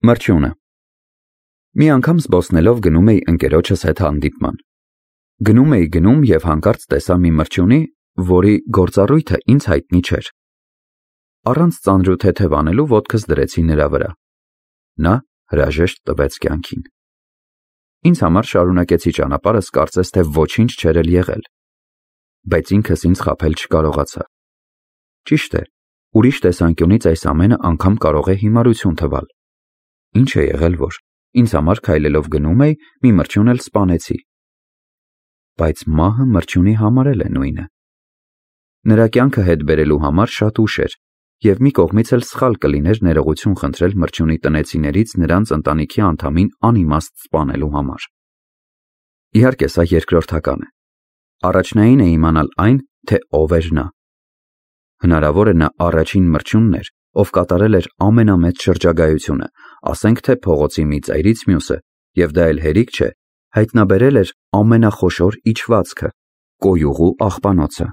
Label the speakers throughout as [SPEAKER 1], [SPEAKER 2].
[SPEAKER 1] Մրջյունը։ Մի անգամ զբոսնելով գնում էի ընկերոջս հետ հանդիպման։ Գնում և հանկարծ տեսա մի մրջյունի, որի գործառույթը ինձ հայտնի չէր։ Առանց ծանրութեթև անելու ոտքս դրեցի նրա վրա։ Նա հրաժեշտ տվեց կյանքին։ Ինձ համար շարունակեցի ճանապարհս, կարծես թե ոչինչ չէր էլ եղել։ Բայց ինքս ինձ խաբել չկարողացա։ Ճիշտ է, ուրիշ տեսանկյունից այս ամենը անգամ կարող է հիմարություն թվալ։ Ինչ է եղել, որ ինձ համար քայլելով գնում էի, մի մրջյուն էլ սպանեցի։ Բայց մահը մրջյունի համար էլ է նույնը։ Նրա կյանքը հետ բերելու համար շատ ուշ էր, և մի կողմից էլ սխալ կլիներ ներողություն խնդրել մրջյունի տնեցիներից նրանց ընտանիքի անդամին անիմաստ սպանելու համար։ Իհարկե, սա երկրորդական է։ Առաջնային է իմանալ այն, թե ով էր նա։ Հնարավոր է նա առաջին մրջյունն էր, ով կատարել էր ամենամեծ շրջագայությունը, ասենք թե փողոցի մի ծայրից մյուսը, և դա էլ հերիք չէ, հայտնաբերել էր ամենախոշոր իջվածքը՝ կոյուղու աղբանոցը։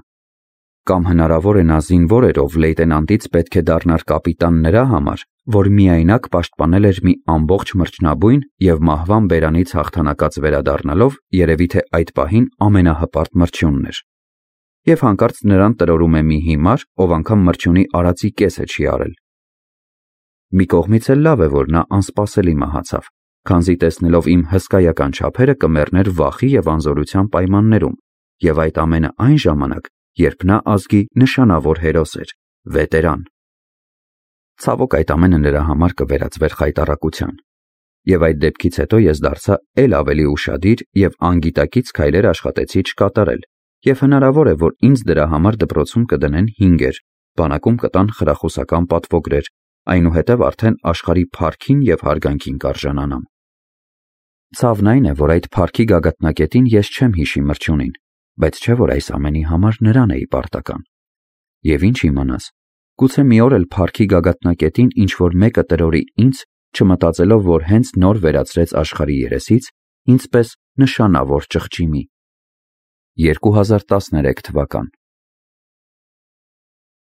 [SPEAKER 1] Կամ հնարավոր է նա զինվոր էր, ով լեյտենանտից պետք է դառնար կապիտան նրա համար, որ միայնակ պաշտպանել էր մի ամբողջ մրջնաբույն և մահվան բերանից հաղթանակած վերադառնալով երևի թե այդ պահին ամենահպարտ մրջյունն էր։ Եվ հանկարծ նրան տրորում է մի հիմար, ով անգամ մրջյունի արածի կեսը չի արել։ Մի կողմից էլ լավ է, որ նա անսպասելի մահացավ, քանզի տեսնելով իմ հսկայական չափերը կմեռներ վախի և անզորության պայմաններում, և այդ ամենը այն ժամանակ, երբ նա ազգի նշանավոր հերոս էր, վետերան։ Ցավոք, այդ ամենը նրա համար կվերածվեր խայտառակության, և այդ դեպքից հետո ես դարձա էլ ավելի ուշադիր և անգիտակից քայլեր աշխատեցի չկատարել, և հնարավոր է, որ ինձ դրա համար դպրոցում կդնեն 5-էր, բանակում կտան խրախուսական պատվոգրեր, այնուհետև արդեն աշխարհի փառքին և հարգանքին կարժանանամ։ Ցավն այն է, որ այդ փառքի գագաթնակետին ես չեմ հիշի մրջյունին, բայց չէ՞ որ այս ամենի համար նրան էի պարտական։ Եվ ինչ իմանաս, գուցե մի օր էլ փառքի գագաթնակետին ինչ-որ մեկը տրորի ինձ, չմտածելով, որ հենց նոր վերացրեց աշխարհի երեսից ինձ պես նշանավոր ճղճիմի։ 2013 թվական